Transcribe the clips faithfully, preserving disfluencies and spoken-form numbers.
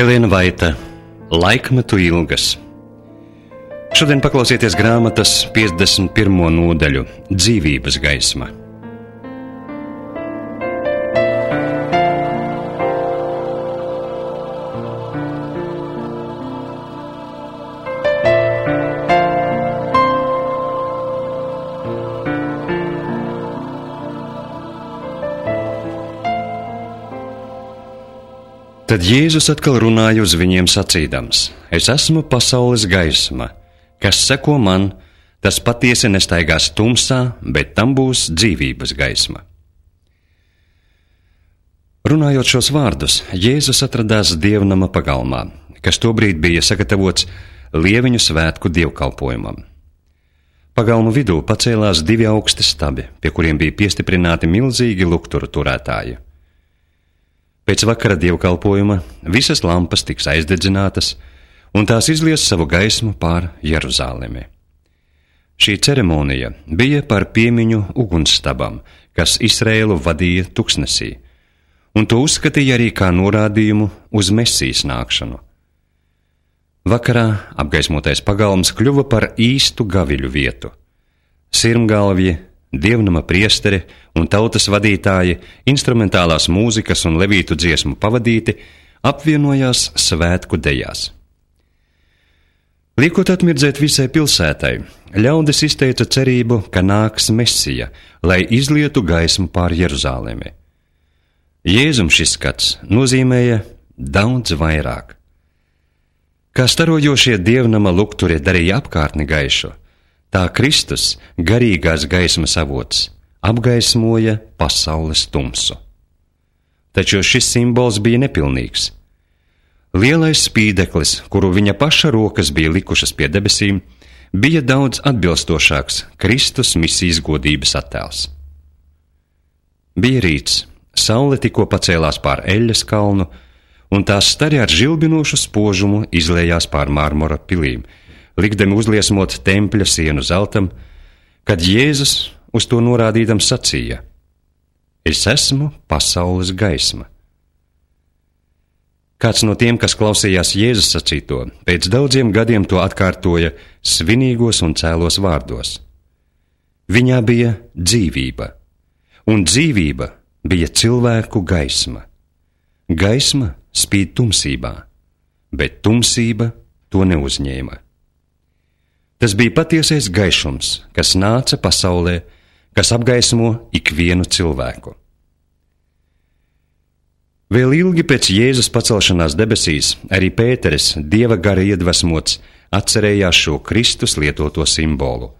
Helēna Vaita, Laikmetu ilgas. Šodien paklausieties grāmatas piecdesmit pirmo nodaļu Dzīvības gaisma. Tad Jēzus atkal runāja uz viņiem sacīdams: Es esmu pasaules gaisma, kas seko man, tas patiesi nestaigās tumsā, bet tam būs dzīvības gaisma. Runājot šos vārdus, Jēzus atradās dievnama pagalmā, kas tobrīd bija sagatavots Lieviņu svētku dievkalpojumam. Pagalmu vidū pacēlās divi augsti stabi, pie kuriem bija piestiprināti milzīgi lukturu turētāji. Pēc vakara dievkalpojuma visas lampas tiks aizdedzinātas, un tās izlies savu gaismu pār Jeruzalemi. Šī ceremonija bija par piemiņu ugunsstabam, kas Izraēlu vadīja tuksnesī, un to uzskatīja arī kā norādījumu uz Mesijas nākšanu. Vakarā apgaismotais pagalms kļuva par īstu gaviļu vietu. Sirmgalvji, dievnama priesteri un tautas vadītāji, instrumentālās mūzikas un levītu dziesmu pavadīti, apvienojās svētku dejās. Liekot atmirdzēt visai pilsētai, ļaudis izteica cerību, ka nāks Mesija, lai izlietu gaismu pār Jeruzalemi. Jēzum šis skats nozīmēja daudz vairāk. Kā starojošie dievnama lukturi darīja apkārtni gaišu, tā Kristus, garīgās gaismas avots, apgaismoja pasaules tumsu. Taču šis simbols bija nepilnīgs. Lielais spīdeklis, kuru viņa paša rokas bija likušas pie debesīm, bija daudz atbilstošāks Kristus misijas godības attēls. Bija rīts, saule tikko pacēlās pār Eļas kalnu, un tās stari ar žilbinošu spožumu izlējās pār Mārmora pilīm, likdami uzliesmot tempļa sienu zeltam, kad Jēzus uz to norādīdams sacīja: Es esmu pasaules gaisma. Kāds no tiem, kas klausījās Jēzus sacīto, pēc daudziem gadiem to atkārtoja svinīgos un cēlos vārdos. Viņā bija dzīvība, un dzīvība bija cilvēku gaisma. Gaisma spīd tumsībā, bet tumsība to neuzņēma. Tas bija patiesais gaišums, kas nāca pasaulē, kas apgaismo ikvienu cilvēku. Vēl ilgi pēc Jēzus pacelšanās debesīs arī Pēteris, Dieva gara iedvesmots, atcerējās šo Kristus lietoto simbolu.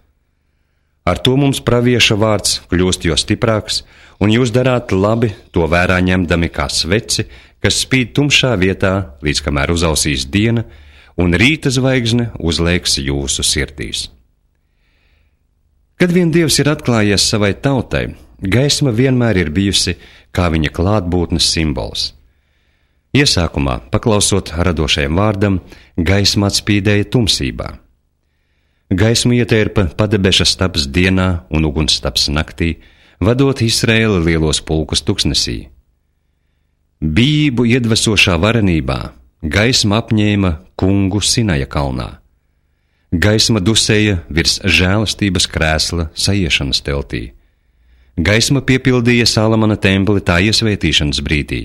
Ar to mums pravieša vārds kļūst jo stiprāks, un jūs darāt labi to vērā ņemdami kā sveci, kas spīd tumšā vietā, līdz kamēr uzausīs diena, un rīta zvaigzne uzliekas jūsu sirdīs. Kad vien Dievs ir atklājies savai tautai, gaisma vienmēr ir bijusi kā viņa klātbūtnes simbols. Iesākumā, paklausot radošajam vārdam, gaisma atspīdēja tumsībā. Gaismu ietērpa padebeša stabs dienā un ugunstabs naktī, vadot Izraēla lielos pulkus tuksnesī. Bijību iedvesošā varenībā gaisma apņēma kungu Sinaja kalnā. Gaisma dusēja virs žēlastības krēsla saiešanas teltī. Gaisma piepildīja Salamana templi tā iesvētīšanas brīdī.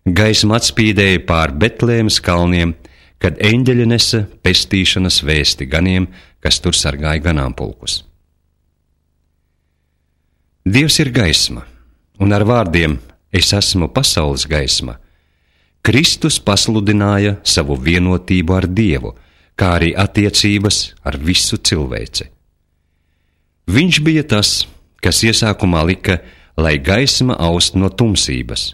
Gaisma atspīdēja pār Betlēmas kalniem, kad eņģeļi nesa pestīšanas vēsti ganiem, kas tur sargāja ganāmpulkus. Dievs ir gaisma, un ar vārdiem Es esmu pasaules gaisma Kristus pasludināja savu vienotību ar Dievu, kā arī attiecības ar visu cilvēci. Viņš bija tas, kas iesākumā lika, lai gaisma aust no tumsības.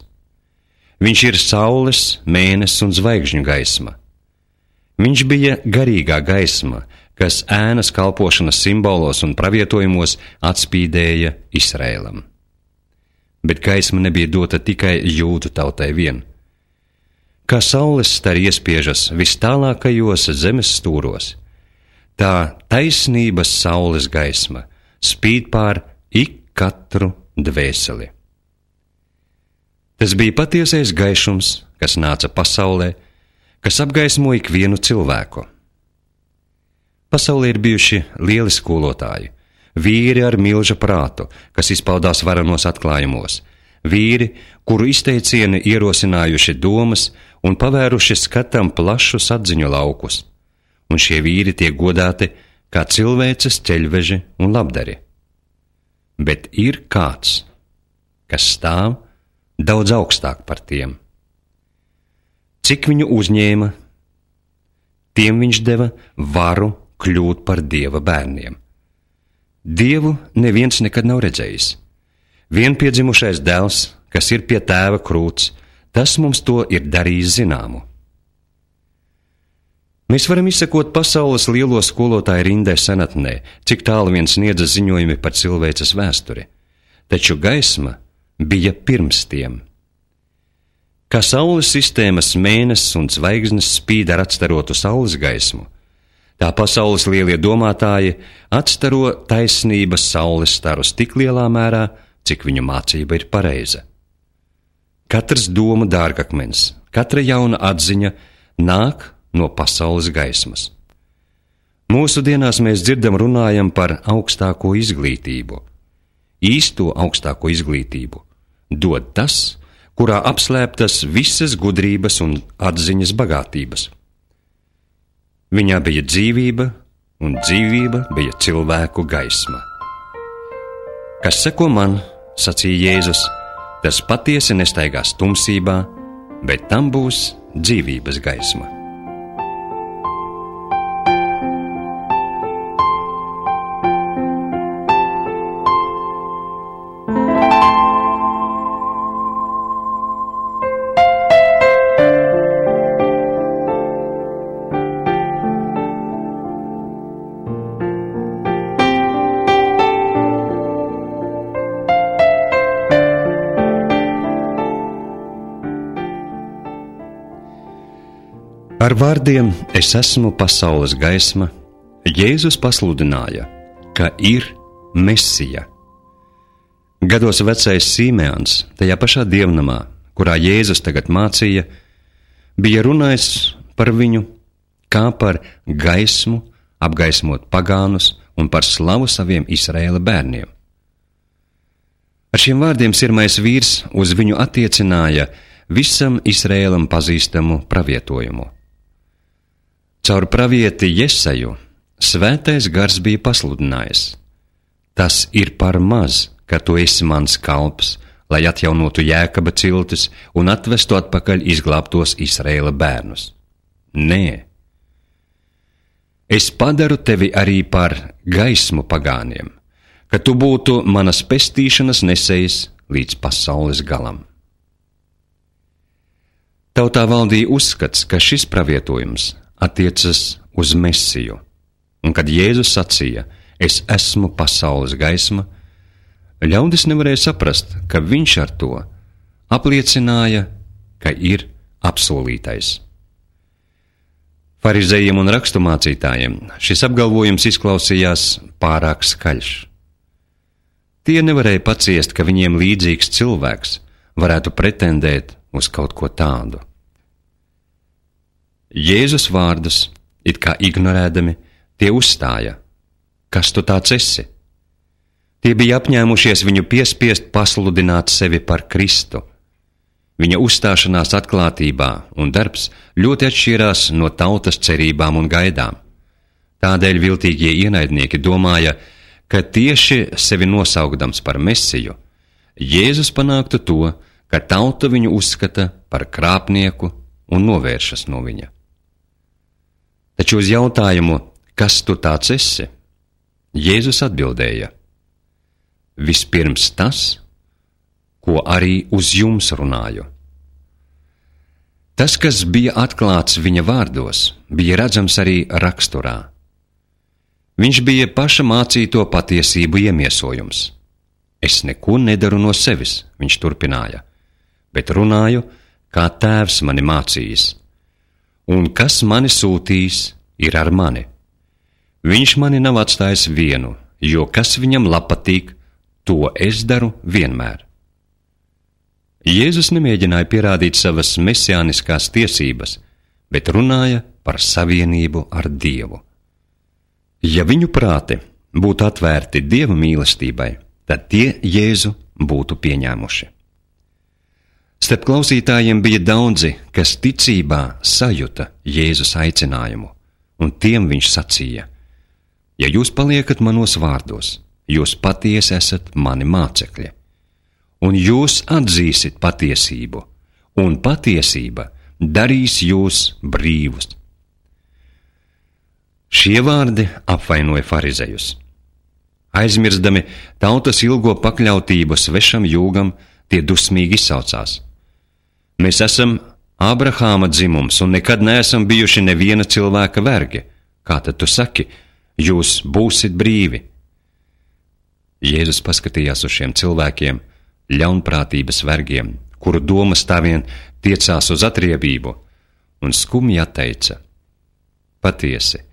Viņš ir saules, mēness un zvaigžņu gaisma. Viņš bija garīgā gaisma, kas ēnas kalpošanas simbolos un pravietojumos atspīdēja Izraēlam. Bet gaisma nebija dota tikai jūdu tautai vien. Kā saules stari iespiežas vis tālākajos zemes stūros, tā taisnības saules gaisma spīd pār ik katru dvēseli. Tas bija patiesais gaišums, kas nāca pasaulē, kas apgaismo ikvienu cilvēku. Pasaulē ir bijuši lieli skolotāji, vīri ar milža prātu, kas izpaudās varenos atklājumos, vīri, kuru izteicieni ierosinājuši domas un pavēruši skatam plašus atziņu laukus, un šie vīri tiek godāti kā cilvēces ceļveži un labdari. Bet ir kāds, kas stāv daudz augstāk par tiem. Cik viņu uzņēma, tiem viņš deva varu kļūt par Dieva bērniem. Dievu neviens nekad nav redzējis. Vienpiedzimušais dēls, kas ir pie tēva krūts, tas mums to ir darījis zināmu. Mēs varam izsekot pasaules lielo skolotāju rindē senatnē, cik tālu vien sniedza ziņojumi par cilvēces vēsturi, taču gaisma bija pirms tiem. Kā saules sistēmas mēnesis un zvaigznes spīd ar atstarotu saules gaismu, tā pasaules lielie domātāji atstaro taisnības saules starus tik lielā mērā, cik viņu mācība ir pareiza. Katrs domu dārgakmens, katra jauna atziņa nāk no pasaules gaismas. Mūsu dienās mēs dzirdam runājam par augstāko izglītību. Īsto augstāko izglītību dod tas, kurā apslēptas visas gudrības un atziņas bagātības. Viņā bija dzīvība, un dzīvība bija cilvēku gaisma. Kas seko man, sacīja Jēzus, tas patiesi nestaigās tumsībā, bet tam būs dzīvības gaisma. Ar vārdiem es esmu pasaules gaisma, Jēzus pasludināja, ka ir Mesija. Gados vecais Simeons, tajā pašā dievnamā, kurā Jēzus tagad mācīja, bija runājis par viņu kā par gaismu, apgaismot pagānus un par slavu saviem Izraēla bērniem. Ar šiem vārdiem sirmais vīrs uz viņu attiecināja visam Izraēlam pazīstamu pravietojumu. Caur pravieti Jeseju svētais gars bija pasludinājis: tas ir par maz, ka tu esi mans kalps, lai atjaunotu Jēkaba ciltis un atvestu atpakaļ izglābtos Izraēla bērnus. Nē, es padaru tevi arī par gaismu pagāniem, ka tu būtu manas pestīšanas nesējs līdz pasaules galam. Tautā valdīja uzskats, ka šis pravietojums attiecas uz Mesiju, un kad Jēzus sacīja: es esmu pasaules gaisma, ļaudis nevarēja saprast, ka viņš ar to apliecināja, ka ir apsolītais. Farizējiem un raksturmācītājiem šis apgalvojums izklausījās pārāk skaļš. Tie nevarēja paciest, ka viņiem līdzīgs cilvēks varētu pretendēt uz kaut ko tādu. Jēzus vārdus, it kā ignorēdami, tie uzstāja: kas tu tāds esi? Tie bija apņēmušies viņu piespiest pasludināt sevi par Kristu. Viņa uzstāšanās atklātībā un darbs ļoti atšķirās no tautas cerībām un gaidām. Tādēļ viltīgie ienaidnieki domāja, ka tieši sevi nosaukdams par Mesiju, Jēzus panāktu to, ka tauta viņu uzskata par krāpnieku un novēršas no viņa. Taču uz jautājumu, kas tu tāds esi, Jēzus atbildēja: vispirms tas, ko arī uz jums runāju. Tas, kas bija atklāts viņa vārdos, bija redzams arī raksturā. Viņš bija paša mācīto patiesību iemiesojums. Es neko nedaru no sevis, viņš turpināja, bet runāju, kā tēvs mani mācījis. Un kas mani sūtīs, ir ar mani. Viņš mani nav atstājis vienu, jo kas viņam patīk, to es daru vienmēr. Jēzus nemēģināja pierādīt savas mesiāniskās tiesības, bet runāja par savienību ar Dievu. Ja viņu prāti būtu atvērti Dieva mīlestībai, tad tie Jēzu būtu pieņēmuši. Starp klausītājiem bija daudzi, kas ticībā sajuta Jēzus aicinājumu, un tiem viņš sacīja: ja jūs paliekat manos vārdos, jūs patiesi esat mani mācekļi, un jūs atzīsit patiesību, un patiesība darīs jūs brīvus. Šie vārdi apvainoja farizejus. Aizmirstami tautas ilgo pakļautību svešam jūgam, tie dusmīgi izsaucās: mēs esam Ābrahāma dzimums un nekad neesam bijuši neviena cilvēka vergi. Kā tad tu saki, jūs būsit brīvi? Jēzus paskatījās uz šiem cilvēkiem, ļaunprātības vergiem, kuru domas tā vien tiecās uz atriebību, un skumji atteica: patiesi,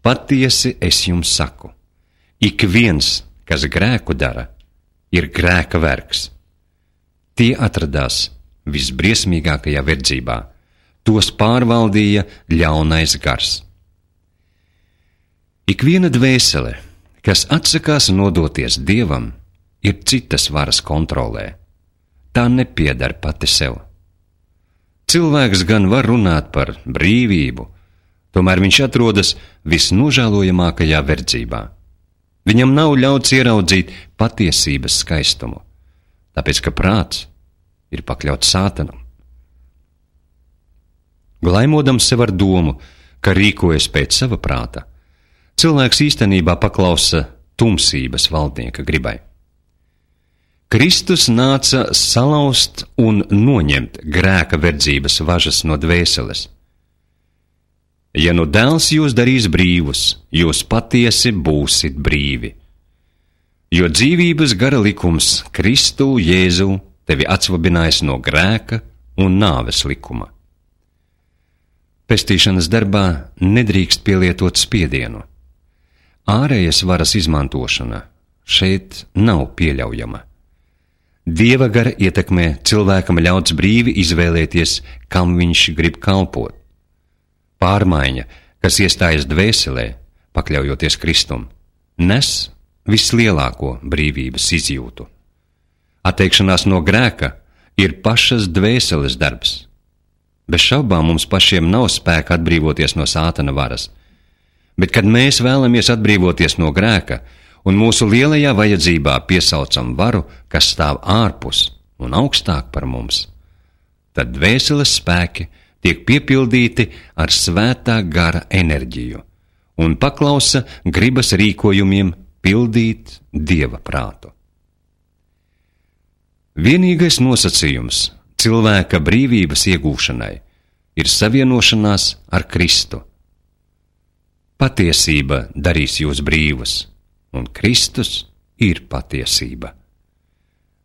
patiesi es jums saku, ik viens, kas grēku dara, ir grēka vergs. Tie atradās visbriesmīgākajā verdzībā, tos pārvaldīja ļaunais gars. Ik viena dvēsele, kas atsakās nodoties Dievam, ir citas varas kontrolē. Tā nepieder pati sev. Cilvēks gan var runāt par brīvību, tomēr viņš atrodas visnožēlojamākajā verdzībā. Viņam nav ļauts ieraudzīt patiesības skaistumu, tāpēc, ka prāts ir pakļauts sātanam. Glaimodams sev ar domu, ka rīkojas pēc sava prāta, cilvēks īstenībā paklausa tumsības valdnieka gribai. Kristus nāca salauzt un noņemt grēka verdzības važas no dvēseles. Ja nu dēls jūs darīs brīvus, jūs patiesi būsit brīvi. Jo dzīvības gara likums Kristu Jēzu tevi atsvabinājis no grēka un nāves likuma. Pestīšanas darbā nedrīkst pielietot spiedienu. Ārējas varas izmantošana šeit nav pieļaujama. Dieva gara ietekmē cilvēkam ļauts brīvi izvēlēties, kam viņš grib kalpot. Pārmaiņa, kas iestājas dvēselē, pakļaujoties Kristum, nes vislielāko brīvības izjūtu. Atteikšanās no grēka ir pašas dvēseles darbs. Bez šaubām mums pašiem nav spēka atbrīvoties no sātana varas, bet kad mēs vēlamies atbrīvoties no grēka un mūsu lielajā vajadzībā piesaucam varu, kas stāv ārpus un augstāk par mums, tad dvēseles spēki tiek piepildīti ar svētā gara enerģiju un paklausa gribas rīkojumiem pildīt Dieva prātu. Vienīgais nosacījums cilvēka brīvības iegūšanai ir savienošanās ar Kristu. Patiesība darīs jūs brīvus, un Kristus ir patiesība.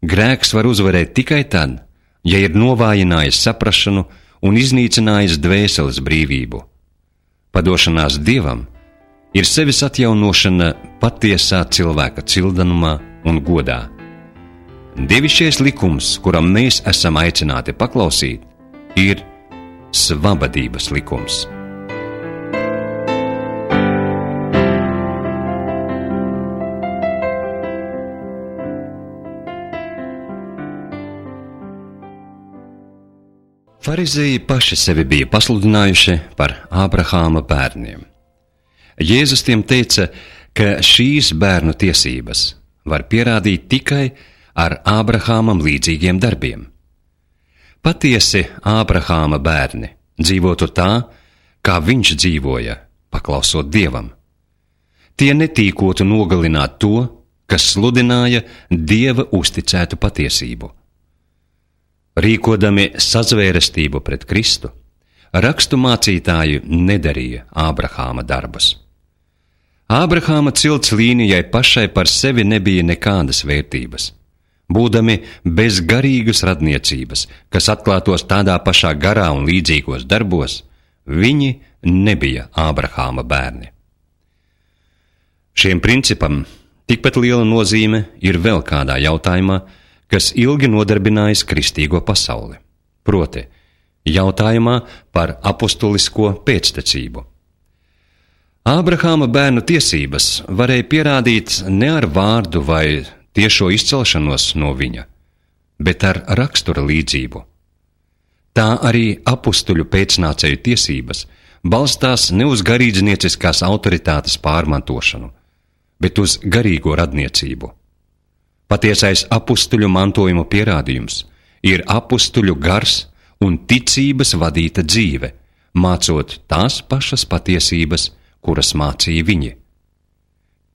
Grēks var uzvarēt tikai tad, ja ir novājinājis saprašanu un iznīcinājis dvēseles brīvību. Padošanās Dievam ir sevis atjaunošana patiesā cilvēka cildenumā un godā. Dievišķais likums, kuram mēs esam aicināti paklausīt, ir svabadības likums. Farizēji paši sevi bija pasludinājuši par Ābrahāma bērniem. Jēzus tiem teica, ka šīs bērnu tiesības var pierādīt tikai ar Ābrahāmam līdzīgiem darbiem. Patiesi Ābrahāma bērni dzīvotu tā, kā viņš dzīvoja, paklausot Dievam. Tie netīkotu nogalināt to, kas sludināja Dieva uzticētu patiesību. Rīkodami sazvērestību pret Kristu, rakstu mācītāji nedarīja Ābrahāma darbus. Ābrahāma cilts līnijai pašai par sevi nebija nekādas vērtības. Būdami bez garīgas radniecības, kas atklātos tādā pašā garā un līdzīgos darbos, viņi nebija Ābrahāma bērni. Šiem principam tikpat liela nozīme ir vēl kādā jautājumā, kas ilgi nodarbinājis kristīgo pasauli, proti jautājumā par apostulisko pēctecību. Ābrahāma bērnu tiesības varēja pierādīt ne ar vārdu vai tiešo izcelšanos no viņa, bet ar rakstura līdzību. Tā arī apustuļu pēcnācēju tiesības balstās ne uz garīdznieciskās autoritātes pārmantošanu, bet uz garīgo radniecību. Patiesais apustuļu mantojuma pierādījums ir apustuļu gars un ticības vadīta dzīve, mācot tās pašas patiesības, kuras mācīja viņi.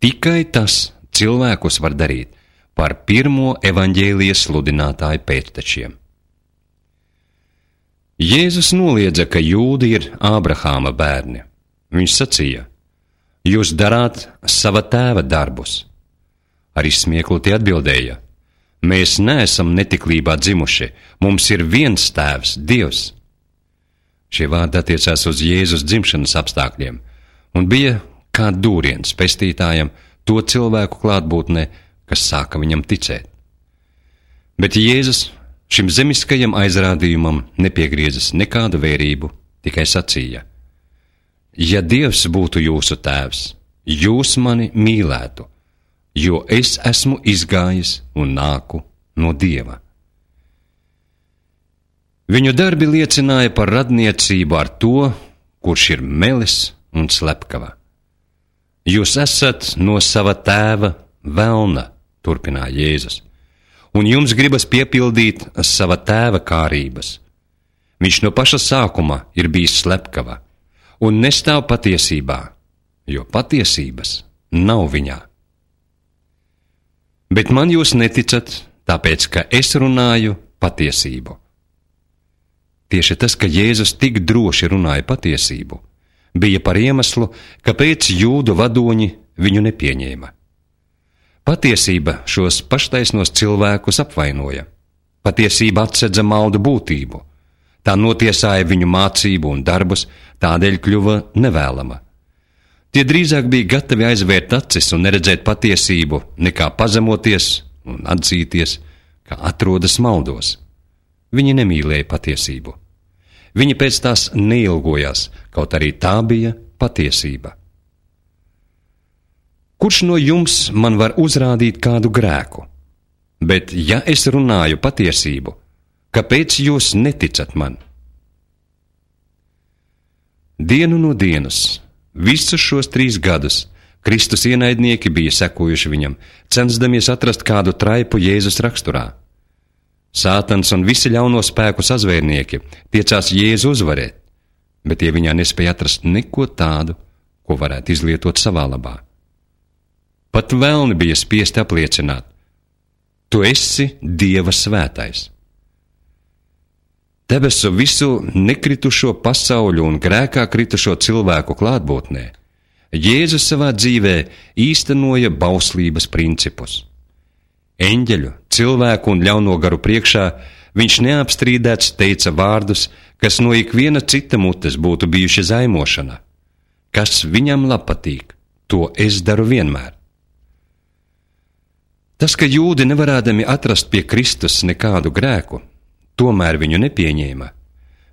Tikai tas cilvēkus var darīt par pirmo evaņģēlijas sludinātāju pēctečiem. Jēzus noliedza, ka jūdi ir Ābrahāma bērni. Viņš sacīja: jūs darāt sava tēva darbus. Ar izsmieklu tie atbildēja: mēs neesam netiklībā dzimuši, mums ir viens tēvs, Dievs. Šie vārdi attiecās uz Jēzus dzimšanas apstākļiem un bija kā dūriens pestītājam to cilvēku klātbūtnē, kas sāka viņam ticēt. Bet Jēzus šim zemiskajam aizrādījumam nepiegriezis nekādu vērību, tikai sacīja: ja Dievs būtu jūsu tēvs, jūs mani mīlētu, jo es esmu izgājis un nāku no Dieva. Viņu darbi liecināja par radniecību ar to, kurš ir melis un slepkava. Jūs esat no sava tēva velna, turpināja Jēzus, un jums gribas piepildīt sava tēva kārības. Viņš no paša sākuma ir bijis slepkava un nestāv patiesībā, jo patiesības nav viņā. Bet man jūs neticat, tāpēc, ka es runāju patiesību. Tieši tas, ka Jēzus tik droši runāja patiesību, bija par iemeslu, kāpēc jūdu vadoņi viņu nepieņēma. Patiesība šos paštaisnos cilvēkus apvainoja. Patiesība atsedza maldu būtību. Tā notiesāja viņu mācību un darbus, tādēļ kļuva nevēlama. Tie drīzāk bija gatavi aizvērt acis un neredzēt patiesību, nekā pazemoties un atzīties, ka atrodas maldos. Viņi nemīlēja patiesību. Viņi pēc tās neilgojās, kaut arī tā bija patiesība. Kurš no jums man var uzrādīt kādu grēku? Bet ja es runāju patiesību, kāpēc jūs neticat man? Dienu no dienas, visus šos trīs gadus, Kristus ienaidnieki bija sekojuši viņam, censdamies atrast kādu traipu Jēzus raksturā. Sātans un visi ļauno spēku sazvērnieki tiecās Jēzu uzvarēt, bet tie viņā nespēja atrast neko tādu, ko varētu izlietot savā labā. Pat velni bija spiesti apliecināt: tu esi Dieva svētais. Debesu visu nekritušo pasauļu un grēkā kritušo cilvēku klātbūtnē Jēzus savā dzīvē īstenoja bauslības principus. Eņģeļu, cilvēku un ļauno garu priekšā viņš neapstrīdēts teica vārdus, kas no ikviena cita mutes būtu bijuši zaimošana. Kas viņam labpatīk, to es daru vienmēr. Tas, ka jūdi nevarādami atrast pie Kristus nekādu grēku, tomēr viņu nepieņēma,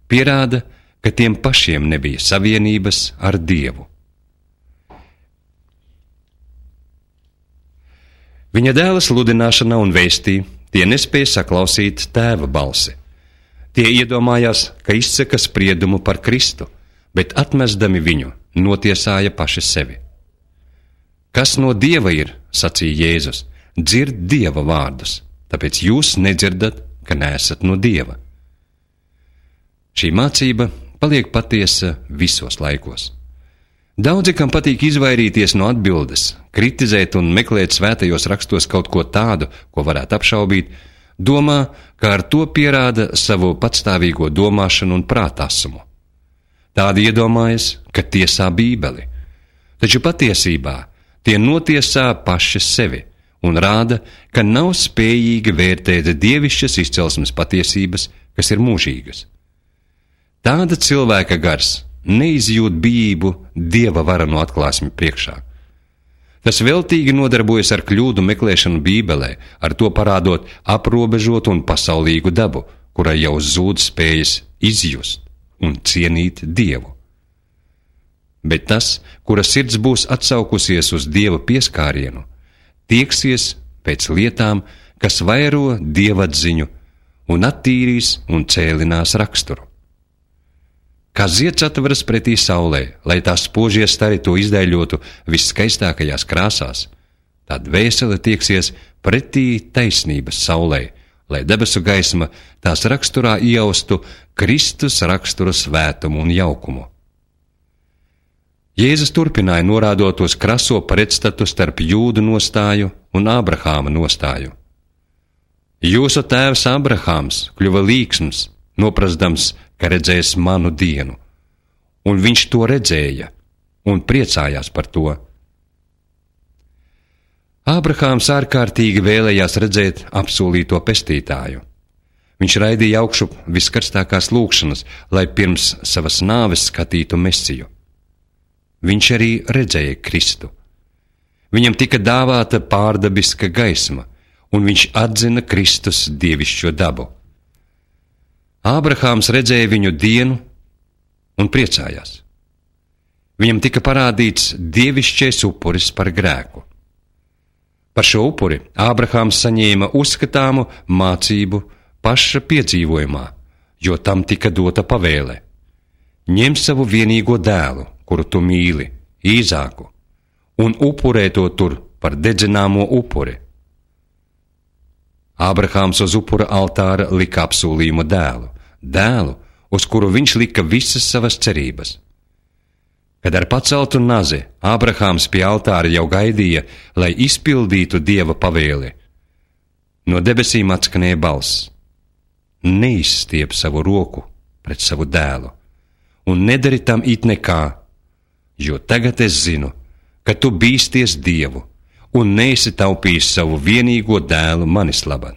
pierāda, ka tiem pašiem nebija savienības ar Dievu. Viņa dēla sludināšanā un vēstī tie nespēja saklausīt tēva balsi. Tie iedomājās, ka izsaka spriedumu par Kristu, bet atmesdami viņu, notiesāja paši sevi. Kas no Dieva ir, sacīja Jēzus, dzird Dieva vārdus, tāpēc jūs nedzirdat, ka neesat no Dieva. Šī mācība paliek patiesa visos laikos. Daudzi, kam patīk izvairīties no atbildes, kritizēt un meklēt svētajos rakstos kaut ko tādu, ko varētu apšaubīt, domā, ka ar to pierāda savu patstāvīgo domāšanu un prātasumu. Tādi iedomājas, ka tiesā Bībeli, taču patiesībā tie notiesā paši sevi un rāda, ka nav spējīgi vērtēt dievišķas izcelsmes patiesības, kas ir mūžīgas. Tāda cilvēka gars neizjūt bijību Dieva varano atklāsmi priekšā. kas veltīgi nodarbojas ar kļūdu meklēšanu Bībelē, ar to parādot aprobežotu un pasaulīgu dabu, kurai jau zūd spējas izjust un cienīt Dievu. Bet tas, kura sirds būs atsaukusies uz Dieva pieskārienu, tieksies pēc lietām, kas vairo dievatziņu un attīrīs un cēlinās raksturu. Kā zieds atveras pretī saulē, lai tās spožie stari to izdaiļotu viskaistākajās krāsās, tā dvēsele tieksies pretī taisnības saulē, lai debesu gaisma tās raksturā iaustu Kristus rakstura svētumu un jaukumu. Jēzus turpināja norādot uz kraso pretstatu starp Jūdu nostāju un Ābrahāma nostāju. Jūsu tēvs Ābrahāms kļuva līksms, noprasdams, ka redzēs manu dienu, un viņš to redzēja un priecājās par to. Ābrahāms ārkārtīgi vēlējās redzēt apsolīto pestītāju. Viņš raidīja augšu viskarstākās lūgšanas, lai pirms savas nāves skatītu Mesiju. Viņš arī redzēja Kristu. Viņam tika dāvāta pārdabiska gaisma, un viņš atzina Kristus dievišķo dabu. Ābrahāms redzēja viņu dienu un priecājās. Viņam tika parādīts dievišķais upuris par grēku. Par šo upuri Ābrahāms saņēma uzskatāmu mācību paša piedzīvojumā, jo tam tika dota pavēle: ņem savu vienīgo dēlu, kuru tu mīli, Īzāku, un upurē to tur par dedzināmo upuri. Ābrahāms uz upura altāra lika apsolījumu dēlu, dēlu, uz kuru viņš lika visas savas cerības. Kad ar paceltu nazi Ābrahāms pie altāra jau gaidīja, lai izpildītu Dieva pavēli, no debesīm atskanēja balss: neizstiep savu roku pret savu dēlu, un nedari tam it nekā, jo tagad es zinu, ka tu bīsties Dievu un neesi taupījis savu vienīgo dēlu manis labad.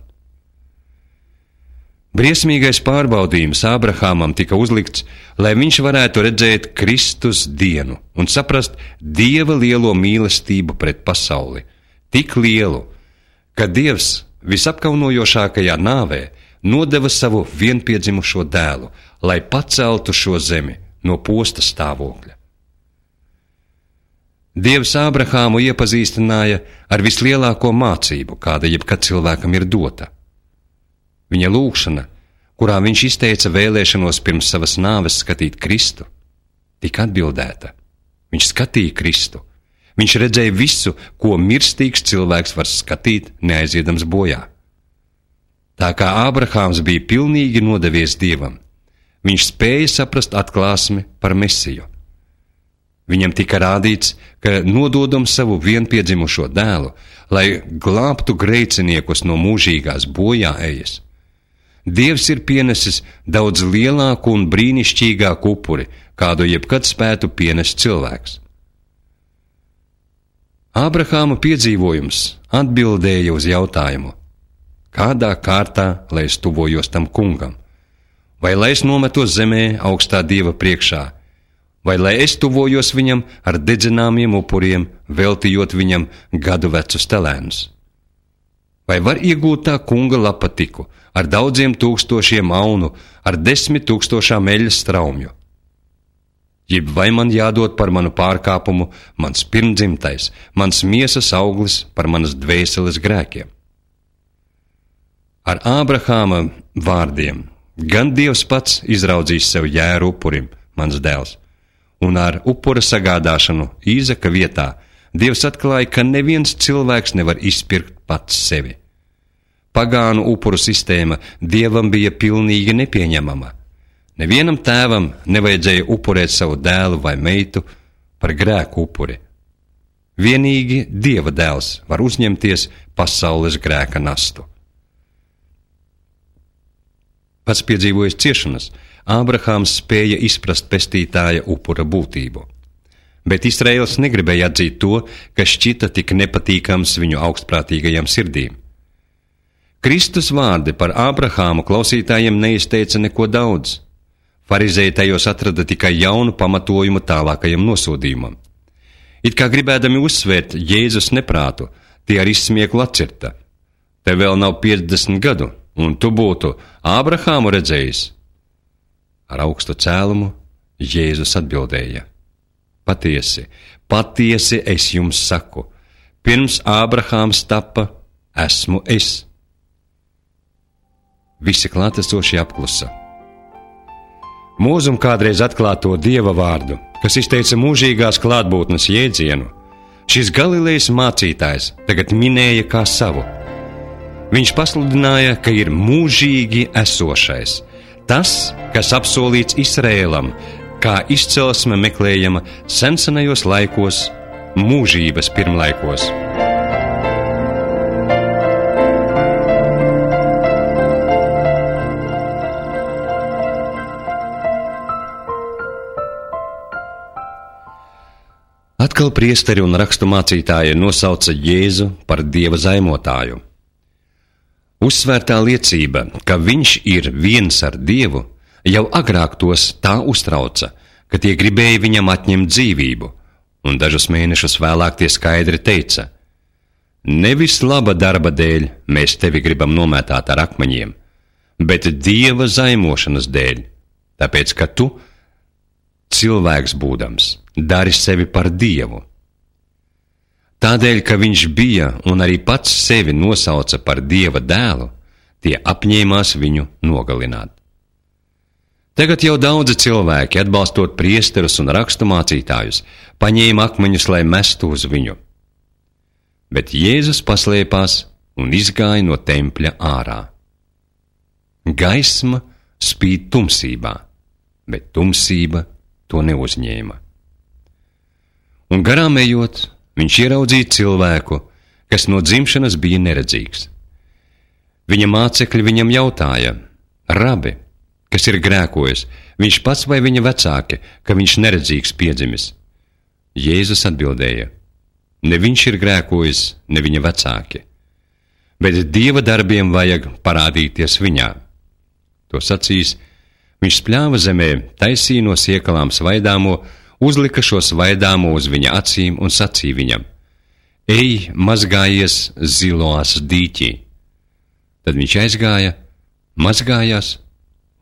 Briesmīgais pārbaudījums Ābrahāmam tika uzlikts, lai viņš varētu redzēt Kristus dienu un saprast Dieva lielo mīlestību pret pasauli, tik lielu, ka Dievs visapkaunojošākajā nāvē nodeva savu vienpiedzimušo dēlu, lai paceltu šo zemi no posta stāvokļa. Dievs Ābrahāmu iepazīstināja ar vislielāko mācību, kāda jebkad cilvēkam ir dota. Viņa lūgšana, kurā viņš izteica vēlēšanos pirms savas nāves skatīt Kristu, tika atbildēta. Viņš skatīja Kristu. Viņš redzēja visu, ko mirstīgs cilvēks var skatīt, neaiziedams bojā. Tā kā Ābrahāms bija pilnīgi nodevies Dievam, viņš spēja saprast atklāsmi par Mesiju. Viņam tika rādīts, ka nododam savu vienpiedzimušo dēlu, lai glābtu grēciniekus no mūžīgās bojā ejas. Dievs ir pienesis daudz lielāku un brīnišķīgāku upuri, kādu jebkad spētu pienest cilvēks. Ābrahāma piedzīvojums atbildēja uz jautājumu: kādā kārtā, lai es tuvojos tam kungam? Vai lai es nometos zemē augstā Dieva priekšā? Vai lai es tuvojos viņam ar dedzināmiem upuriem, veltījot viņam gadu vecus telēnus? Vai var iegūt tā kunga lapatiku ar daudziem tūkstošiem aunu, ar desmit tūkstošām eļas straumju? Jeb vai man jādod par manu pārkāpumu mans pirmdzimtais, mans miesas auglis par manas dvēseles grēkiem? Ar Ābrahāma vārdiem gan Dievs pats izraudzīs sev jēru upurim, mans dēls, un ar upura sagādāšanu Īzaka vietā Dievs atklāja, ka neviens cilvēks nevar izpirkt pats sevi. Pagānu upuru sistēma Dievam bija pilnīgi nepieņemama. Nevienam tēvam nevajadzēja upurēt savu dēlu vai meitu par grēku upuri. Vienīgi Dieva dēls var uzņemties pasaules grēka nastu. Pats piedzīvojis ciešanas, Ābrahāms spēja izprast pestītāja upura būtību. Bet Izraēls negribēja atzīt to, kas šķita tik nepatīkams viņu augstprātīgajām sirdīm. Kristus vārdi par Ābrahāmu klausītājiem neizteica neko daudz. Farizēji tajos atrada tikai jaunu pamatojumu tālākajam nosodījumam. It kā gribēdami uzsvērt Jēzus neprātu, tie ar izsmieklu atcirta. Te vēl nav piecdesmit gadu, un tu būtu Ābrahāmu redzējis. Ar augstu cēlumu Jēzus atbildēja: Patiesi, patiesi es jums saku, pirms Ābrahāms tappa, esmu es. Visi klātesošie apklusa. Mūzum kādreiz atklāto Dieva vārdu, kas izteica mūžīgās klātbūtnes jēdzienu, šis Galilejas mācītājs tagad minēja kā savu. Viņš pasludināja, ka ir mūžīgi esošais, tas, kas apsolīts Izraēlam, kā izcelsme meklējama sensenajos laikos, mūžības pirmlaikos. Atkal priesteri un rakstu mācītāji nosauca Jēzu par Dieva zaimotāju. Uzsvērtā liecība, ka viņš ir viens ar Dievu, jau agrāk tos tā uztrauca, ka tie gribēja viņam atņemt dzīvību, un dažus mēnešus vēlāk tie skaidri teica: Nevis laba darba dēļ mēs tevi gribam nomētāt ar akmeņiem, bet Dieva zaimošanas dēļ, tāpēc, ka tu, cilvēks būdams, dari sevi par Dievu. Tādēļ, ka viņš bija un arī pats sevi nosauca par Dieva dēlu, tie apņēmās viņu nogalināt. Tagad jau daudzi cilvēki, atbalstot priesterus un rakstu mācītājus, paņēma akmeņus, lai mestu uz viņu. Bet Jēzus paslēpās un izgāja no tempļa ārā. Gaisma spīd tumsībā, bet tumsība to neuzņēma. Un garām ejot, viņš ieraudzīja cilvēku, kas no dzimšanas bija neredzīgs. Viņa mācekļi viņam jautāja: Rabi, kas ir grēkojis, viņš pats vai viņa vecāki, ka viņš neredzīgs piedzimis? Jēzus atbildēja: Ne viņš ir grēkojis, ne viņa vecāki, bet Dieva darbiem vajag parādīties viņā. To sacīs, viņš spļāva zemē, taisīja no siekalām svaidāmo, uzlika šo svaidāmo uz viņa acīm un sacīja viņam: Ej, mazgājies Ziloās dīķī. Tad viņš aizgāja, mazgājās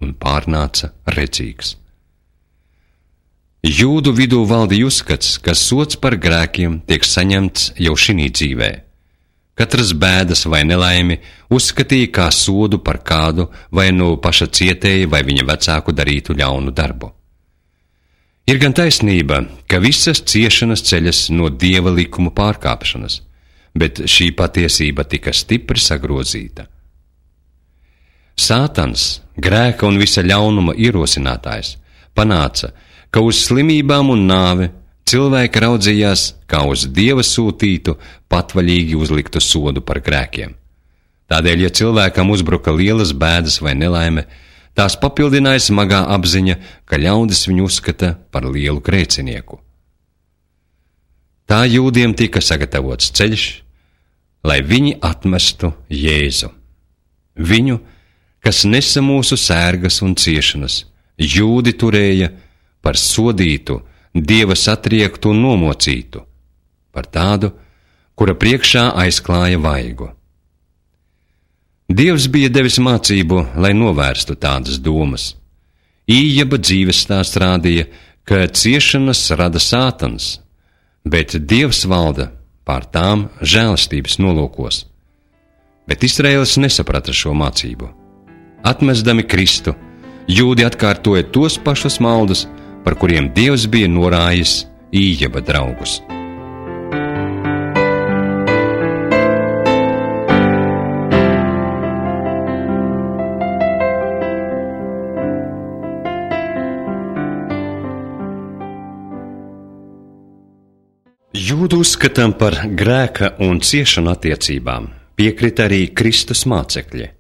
un pārnāca redzīgs. Jūdu vidū valdīja uzskats, ka sods par grēkiem tiek saņemts jau šinī dzīvē. Katras bēdas vai nelaimi uzskatīja kā sodu par kādu vai no paša cietēja vai viņa vecāku darītu ļaunu darbu. Ir gan taisnība, ka visas ciešanas ceļas no Dieva likuma pārkāpšanas, bet šī patiesība tika stipri sagrozīta. Sātans, grēka un visa ļaunuma ierosinātājs, panāca, ka uz slimībām un nāvi cilvēki raudzījās kā uz Dieva sūtītu, patvaļīgi uzliktu sodu par grēkiem. Tādēļ, ja cilvēkam uzbruka lielas bēdas vai nelaime, tās papildināja smagā apziņa, ka ļaudis viņu uzskata par lielu grēcinieku. Tā jūdiem tika sagatavots ceļš, lai viņi atmestu Jēzu. Viņu, kas nesa mūsu sērgas un ciešanas, jūdi turēja par sodītu, Dieva satriektu un nomocītu, par tādu, kura priekšā aizklāja vaigu. Dievs bija devis mācību, lai novērstu tādas domas. Ījaba dzīves stāsts rādīja, ka ciešanas rada Sātans, bet Dievs valda pār tām žēlastības nolūkos. Bet Izraēlis nesaprata šo mācību. Atmesdami Kristu, jūdi atkārtoja tos pašus maldus, par kuriem Dievs bija norājis Ījaba draugus. Jūdu uzskatām par grēka un ciešanu attiecībām piekrita arī Kristus mācekļi.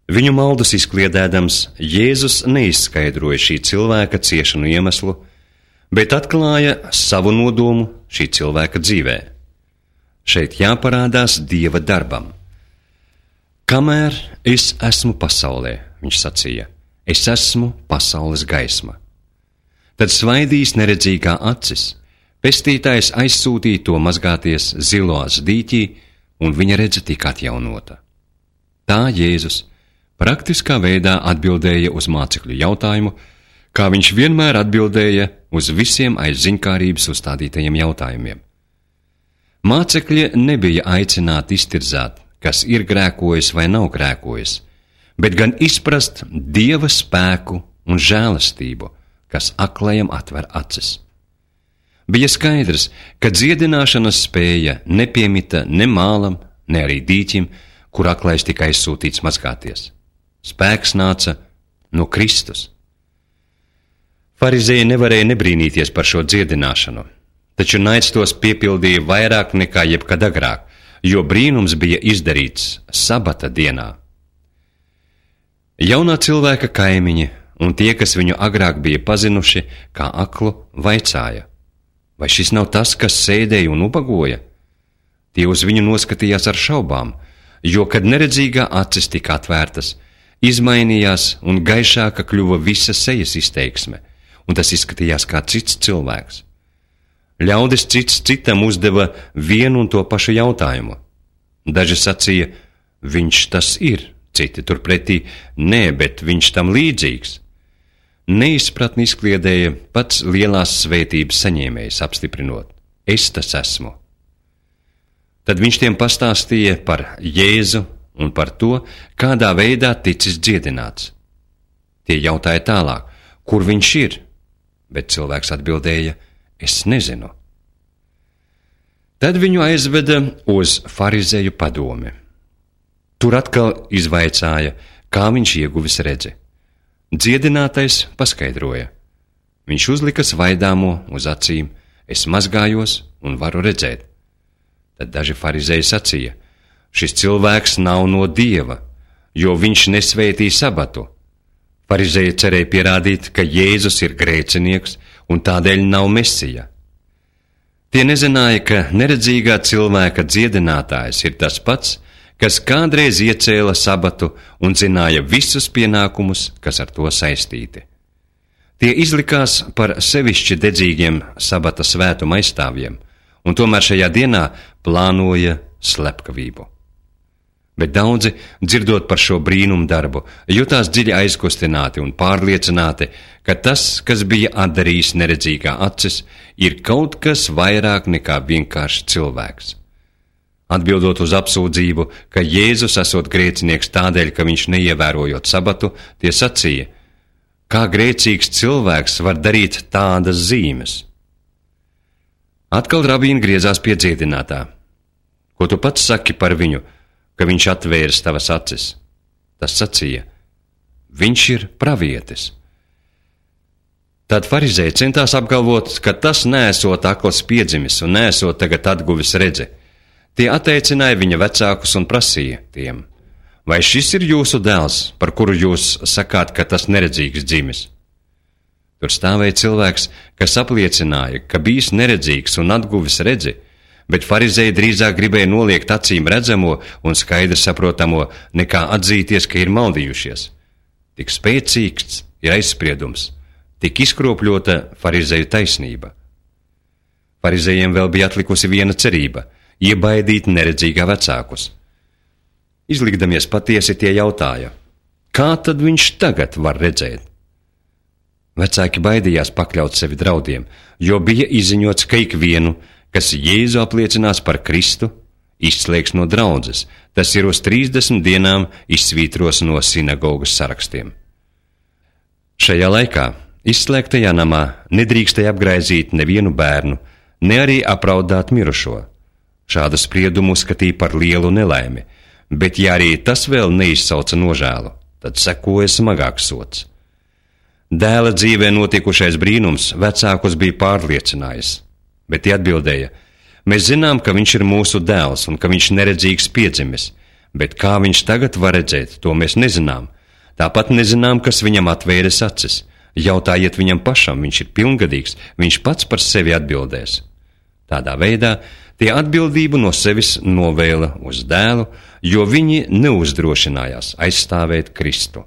Viņu maldus izkliedēdams, Jēzus neizskaidroja šī cilvēka ciešanu iemeslu, bet atklāja savu nodomu šī cilvēka dzīvē. Šeit jāparādās Dieva darbam. Kamēr es esmu pasaulē, viņš sacīja, es esmu pasaules gaisma. Tad svaidīs neredzīgā acis, Pestītājs aizsūtīja to mazgāties Ziloas dīķī, un viņa redze tika atjaunota. Tā Jēzus praktiskā veidā atbildēja uz mācekļu jautājumu, kā viņš vienmēr atbildēja uz visiem aiz ziņkārības uzstādītajiem jautājumiem. Mācekļi nebija aicināti iztirzāt, kas ir grēkojis vai nav grēkojis, bet gan izprast Dieva spēku un žēlastību, kas aklajam atver acis. Bija skaidrs, ka dziedināšanas spēja nepiemita ne mālam, ne arī dīķim, kur aklais tika aizsūtīts mazgāties. Spēks nāca no Kristus. Farizēji nevarēja nebrīnīties par šo dziedināšanu, taču naids tos piepildīja vairāk nekā jebkad agrāk, jo brīnums bija izdarīts sabata dienā. Jaunā cilvēka kaimiņi un tie, kas viņu agrāk bija pazinuši kā aklu, vaicāja, vai šis nav tas, kas sēdēja un ubagoja? Tie uz viņu noskatījās ar šaubām, jo, kad neredzīgā acis tika atvērtas, izmainījās un gaišāka kļuva visa sejas izteiksme, un tas izskatījās kā cits cilvēks. Ļaudis cits citam uzdeva vienu un to pašu jautājumu. Daži sacīja, viņš tas ir, citi turpretī, nē, bet viņš tam līdzīgs. Neizpratni izkliedēja pats lielās svētības saņēmējs, apstiprinot, es tas esmu. Tad viņš tiem pastāstīja par Jēzu un par to, kādā veidā ticis dziedināts. Tie jautāja tālāk, kur viņš ir, bet cilvēks atbildēja, es nezinu. Tad viņu aizveda uz farizēju padomi. Tur atkal izvaicāja, kā viņš ieguvis redzi. Dziedinātais paskaidroja. Viņš uzlika svaidāmo uz acīm, es mazgājos un varu redzēt. Tad daži farizēji sacīja, šis cilvēks nav no Dieva, jo viņš nesvētī sabatu. Farizēji cerēja pierādīt, ka Jēzus ir grēcinieks un tādēļ nav Mesija. Tie nezināja, ka neredzīgā cilvēka dziedinātājs ir tas pats, kas kādreiz iecēla sabatu un zināja visus pienākumus, kas ar to saistīti. Tie izlikās par sevišķi dedzīgiem sabata svētuma aizstāvjiem, un tomēr šajā dienā plānoja slepkavību. Bet daudzi, dzirdot par šo brīnumu darbu, jutās dziļi aizkustināti un pārliecināti, ka tas, kas bija atdarījis neredzīgā acis, ir kaut kas vairāk nekā vienkārši cilvēks. Atbildot uz apsūdzību, ka Jēzus esot grēcinieks tādēļ, ka viņš neievērojot sabatu, tie sacīja, kā grēcīgs cilvēks var darīt tādas zīmes. Atkal rabīni griezās pie dziedinātā. Ko tu pats saki par viņu, ka viņš atvērs tavas acis? Tas sacīja, viņš ir pravietis. Tad farizēji centās apgalvot, ka tas neesot akls piedzimis un neesot tagad atguvis redzi. Tie atteicināja viņa vecākus un prasīja tiem, vai šis ir jūsu dēls, par kuru jūs sakāt, ka tas neredzīgs dzimis? Tur stāvēja cilvēks, kas apliecināja, ka bijis neredzīgs un atguvis redzi, bet farizēji drīzāk gribēja noliegt acīm redzamo un skaidri saprotamo, nekā atzīties, ka ir maldījušies. Tik spēcīgs ir aizspriedums, tik izkropļota farizēju taisnība. Farizējiem vēl bija atlikusi viena cerība – iebaidīt neredzīgā vecākus. Izlikdamies patiesi, tie jautāja, kā tad viņš tagad var redzēt? Vecāki baidījās pakļaut sevi draudiem, jo bija izziņots, ka ikvienu, kas Jēzu apliecinās par Kristu, izslēgs no draudzes, tas ir uz trīsdesmit dienām izsvītros no sinagogas sarakstiem. Šajā laikā izslēgtajā namā nedrīkstēja apgraizīt nevienu bērnu, ne arī apraudāt mirušo. Šādu spriedumu uzskatīja par lielu nelaimi, bet ja arī tas vēl neizsauca nožēlu, tad sekoja smagāks sods. Dēla dzīvē notikušais brīnums vecākus bija pārliecinājis, bet tie atbildēja, mēs zinām, ka viņš ir mūsu dēls un ka viņš neredzīgs piedzimis, bet kā viņš tagad var redzēt, to mēs nezinām. Tāpat nezinām, kas viņam atvēris acis. Jautājiet viņam pašam, viņš ir pilngadīgs, viņš pats par sevi atbildēs. Tādā veidā tie atbildību no sevis novēla uz dēlu, jo viņi neuzdrošinājās aizstāvēt Kristu.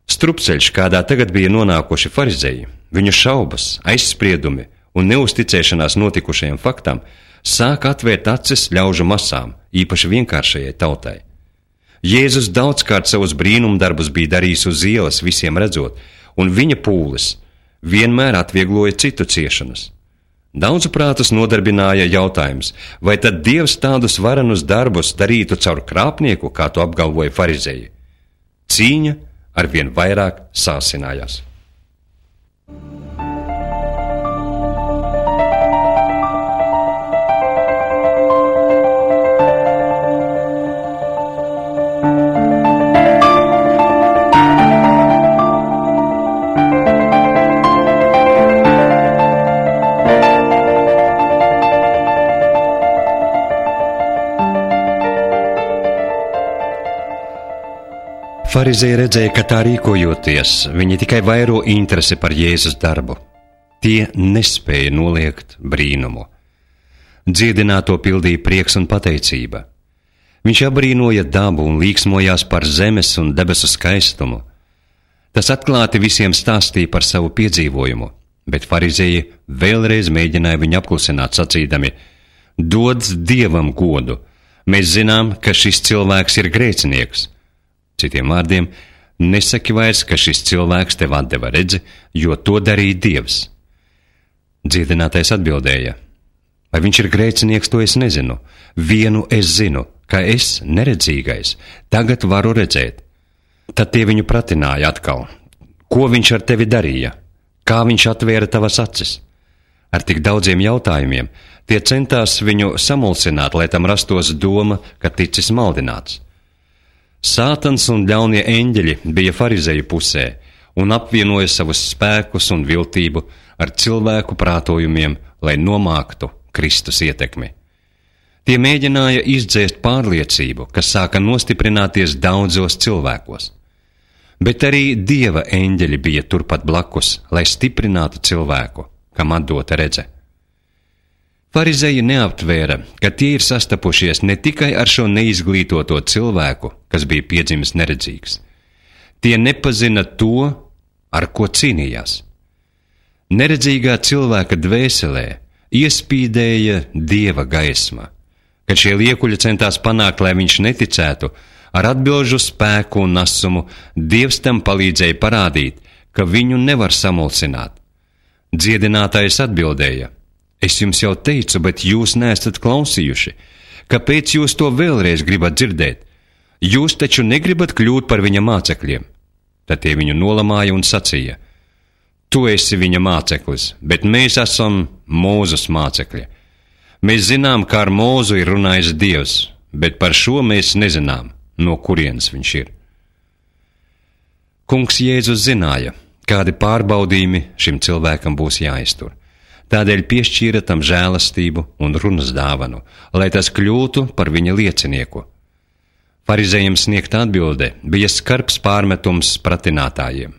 Strupceļš, kādā tagad bija nonākuši farizēji, viņu šaubas, aizspriedumi un neusticēšanās notikušajam faktam sāk atvērt acis ļaužu masām, īpaši vienkāršajai tautai. Jēzus daudzkārt savus brīnumdarbus bija darījis uz ielas visiem redzot, un viņa pūles vienmēr atviegloja citu ciešanas. Daudzu prātus nodarbināja jautājums, vai tad Dievs tādus varenus darbus darītu caur krāpnieku, kā to apgalvoja farizeji. Cīņa arvien vairāk sāsinājās. Farizēji redzēja, ka tā rīkojoties, viņi tikai vairo interesi par Jēzus darbu. Tie nespēja noliegt brīnumu. Dziedināto pildīja prieks un pateicība. Viņš abrīnoja dabu un līksmojās par zemes un debesu skaistumu. Tas atklāti visiem stāstīja par savu piedzīvojumu, bet farizēji vēlreiz mēģināja viņu apklusināt sacīdami: dod Dievam godu, mēs zinām, ka šis cilvēks ir grēcinieks. Citiem vārdiem, nesaki vairs, ka šis cilvēks tev atdeva redzi, jo to darīja Dievs. Dziedinātais atbildēja: vai viņš ir grēcinieks, to es nezinu. Vienu es zinu, ka es, neredzīgais, tagad varu redzēt. Tad tie viņu pratināja atkal: ko viņš ar tevi darīja? Kā viņš atvēra tavas acis? Ar tik daudziem jautājumiem tie centās viņu samulsināt, lai tam rastos doma, ka ticis maldināts. Sātans un ļaunie eņģeļi bija farizeju pusē un apvienoja savus spēkus un viltību ar cilvēku prātojumiem, lai nomāktu Kristus ietekmi. Tie mēģināja izdzēst pārliecību, kas sāka nostiprināties daudzos cilvēkos. Bet arī Dieva eņģeļi bija turpat blakus, lai stiprinātu cilvēku, kam atdota redze. Farizeji neaptvēra, ka tie ir sastapušies ne tikai ar šo neizglītoto cilvēku, kas bija piedzimis neredzīgs. Tie nepazina to, ar ko cīnījās. Neredzīgā cilvēka dvēselē iespīdēja Dieva gaisma, kad šie liekuļi centās panākt, lai viņš neticētu, ar atbilžu spēku un nasumu Dievs tam palīdzēja parādīt, ka viņu nevar samulsināt. Dziedinātājs atbildēja: es jums jau teicu, bet jūs neesat klausījuši. Kāpēc jūs to vēlreiz gribat dzirdēt? Jūs taču negribat kļūt par viņa mācekļiem. Tad tie viņu nolamāja un sacīja: tu esi viņa māceklis, bet mēs esam Mūzes mācekļi. Mēs zinām, kā ar Mūzu ir runājis Dievs, bet par šo mēs nezinām, no kurienes viņš ir. Kungs Jēzus zināja, kādi pārbaudījumi šim cilvēkam būs jāiztur. Tādēļ piešķīra tam žēlastību un runas dāvanu, lai tas kļūtu par viņa liecinieku. Farizējiem sniegta atbilde bija skarbs pārmetums pratinātājiem.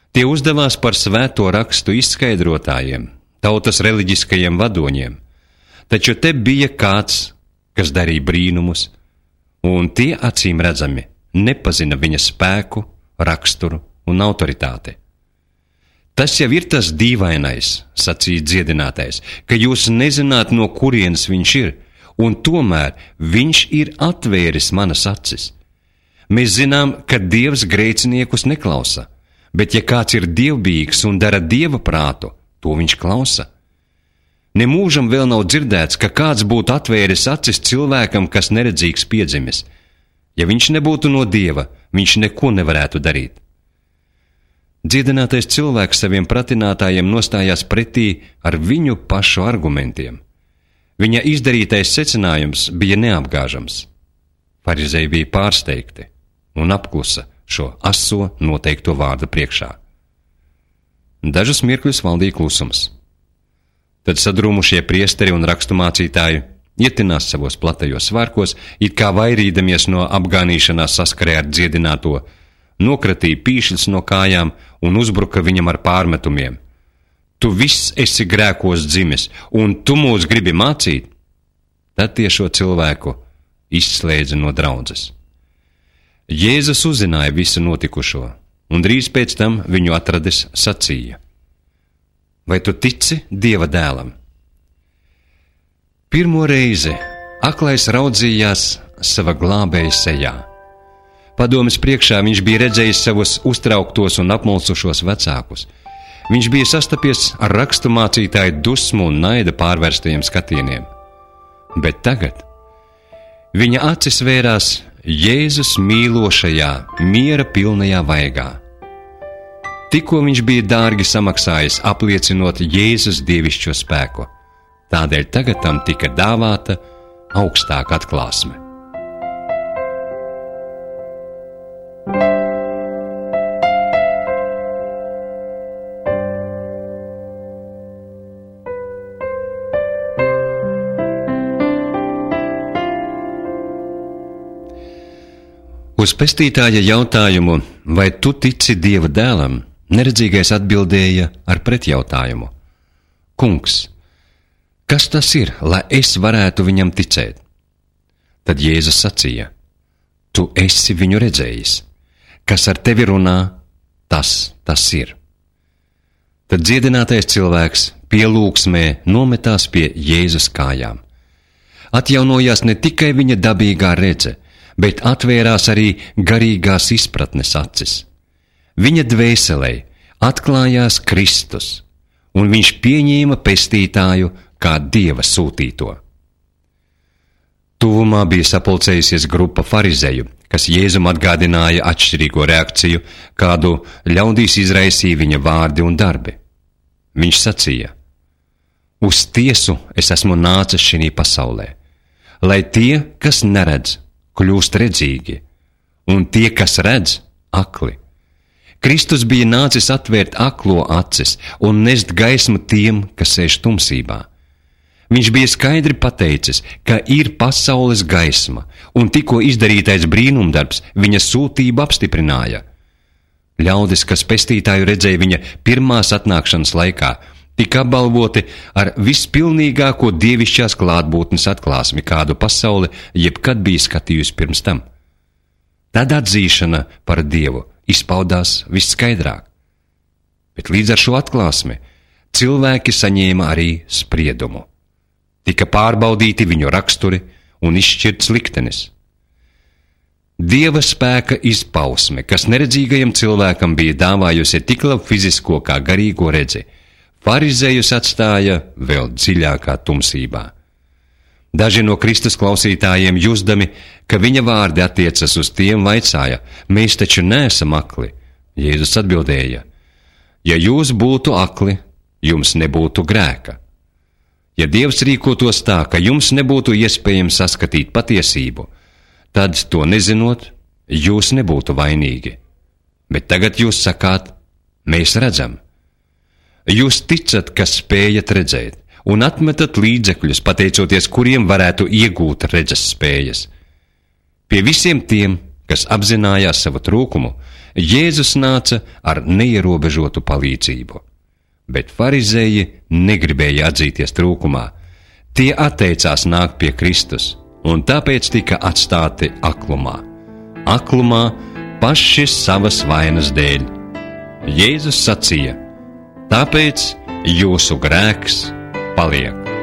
Tie uzdevās par svēto rakstu izskaidrotājiem, tautas reliģiskajiem vadoņiem, taču te bija kāds, kas darīja brīnumus, un tie acīm redzami nepazina viņa spēku, raksturu un autoritāti. Tas jau ir tas dīvainais, sacīja dziedinātais, ka jūs nezināt, no kurienes viņš ir, un tomēr viņš ir atvēris manas acis. Mēs zinām, ka Dievs grēciniekus neklausa, bet ja kāds ir dievbijīgs un dara Dieva prātu, to viņš klausa. Nemūžam vēl nav dzirdēts, ka kāds būtu atvēris acis cilvēkam, kas neredzīgs piedzimis. Ja viņš nebūtu no Dieva, viņš neko nevarētu darīt. Dziedinātais cilvēks saviem pratinātājiem nostājās pretī ar viņu pašu argumentiem. Viņa izdarītais secinājums bija neapgāžams. Farizeji bija pārsteigti un apklusa šo aso noteikto vārdu priekšā. Dažus mirkļus valdīja klusums. Tad sadrūmušie priesteri un rakstumācītāji ietinās savos platajos svārkos, it kā vairīdamies no apgānīšanās saskarē ar dziedināto, nokratīja pīšļus no kājām un uzbruka viņam ar pārmetumiem. Tu viss esi grēkos dzimis, un tu mūs gribi mācīt? Tad tie šo cilvēku izslēdza no draudzes. Jēzus uzzināja visu notikušo, un drīz pēc tam viņu atradis sacīja: vai tu tici Dieva dēlam? Pirmo reizi aklais raudzījās sava glābēja sejā. Padomes priekšā viņš bija redzējis savus uztrauktos un apmulsušos vecākus. Viņš bija sastapies ar rakstu mācītāju dusmu un naida pārvērstajiem skatieniem. Bet tagad viņa acis vērās Jēzus mīlošajā, miera pilnajā vaigā. Tikko viņš bija dārgi samaksājis, apliecinot Jēzus dievišķo spēku. Tādēļ tagad tam tika dāvāta augstāka atklāsme. Uz pestītāja jautājumu, vai tu tici Dieva dēlam, neredzīgais atbildēja ar pretjautājumu: Kungs, kas tas ir, lai es varētu viņam ticēt? Tad Jēzus sacīja: Tu esi viņu redzējis, kas ar tevi runā, tas tas ir. Tad dziedinātais cilvēks pielūgsmē nometās pie Jēzus kājām. Atjaunojās ne tikai viņa dabīgā redze, bet atvērās arī garīgās izpratnes acis. Viņa dvēselē atklājās Kristus, un viņš pieņēma pestītāju kā Dieva sūtīto. Tuvumā bija sapulcējusies grupa farizeju, kas Jēzum atgādināja atšķirīgo reakciju, kādu ļaudīs izraisīja viņa vārdi un darbi. Viņš sacīja: Uz tiesu es esmu nācis šī pasaulē, lai tie, kas neredz, kļūst redzīgi, un tie, kas redz, akli. Kristus bija nācis atvērt aklo acis un nest gaismu tiem, kas sēž tumsībā. Viņš bija skaidri pateicis, ka ir pasaules gaisma, un tikko izdarītais brīnumdarbs viņa sūtību apstiprināja. Ļaudis, kas pestītāju redzēja viņa pirmās atnākšanas laikā, tika apbalvoti ar vispilnīgāko dievišķās klātbūtnes atklāsmi, kādu pasaule jebkad bija skatījusi pirms tam. Tad atzīšana par Dievu izpaudās visskaidrāk. Bet līdz ar šo atklāsmi cilvēki saņēma arī spriedumu. Tika pārbaudīti viņu raksturi un izšķirts liktenis. Dieva spēka izpausme, kas neredzīgajam cilvēkam bija dāvājusi tik labu fizisko kā garīgo redzi, farizējus atstāja vēl dziļākā tumsībā. Daži no Kristus klausītājiem jusdami, ka viņa vārdi attiecas uz tiem, vaicāja: Mēs taču neesam akli. Jēzus atbildēja: Ja jūs būtu akli, jums nebūtu grēka. Ja Dievs rīkotos tā, ka jums nebūtu iespējams saskatīt patiesību, tad, to nezinot, jūs nebūtu vainīgi. Bet tagad jūs sakāt: Mēs redzam. Jūs ticat, ka spējat redzēt, un atmetat līdzekļus, pateicoties kuriem varētu iegūt redzes spējas. Pie visiem tiem, kas apzinājās savu trūkumu, Jēzus nāca ar neierobežotu palīdzību. Bet farizēji negribēja atzīties trūkumā. Tie atteicās nākt pie Kristus, un tāpēc tika atstāti aklumā. Aklumā paši savas vainas dēļ. Jēzus sacīja: Tāpēc jūsu grēks paliek.